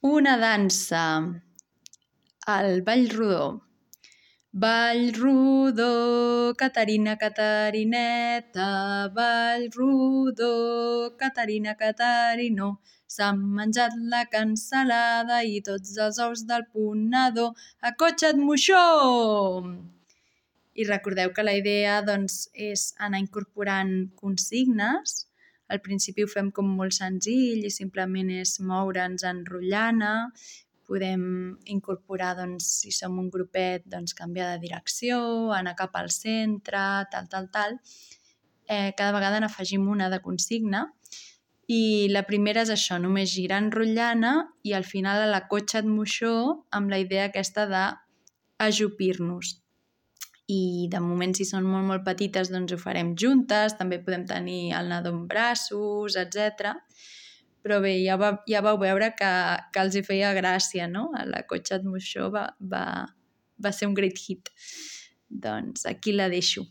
Una dansa, el ball rodó. Ball rodó, Caterina, Caterineta, ball rodó, Caterina, Caterinó. S'han menjat la cansalada i tots els ous del ponedor. Acotxa't, moixó! I recordeu que la idea doncs, és anar incorporant consignes. Al principi ho fem com molt senzill i simplement és moure'ns enrotllant. Podem incorporar, doncs, si som un grupet, doncs, canviar de direcció, anar cap al centre, tal. Cada vegada n'afegim una de consigna i la primera és això, només girar enrotllant i al final a la cotxa't moixó amb la idea aquesta d'ajupir-nos. I de moment, si són molt petites, doncs ho farem juntes, també podem tenir el nadó en braços, etc. Però bé, ja vau veure que els hi feia gràcia, no? La Cotxa't moixó va ser un great hit. Doncs aquí la deixo.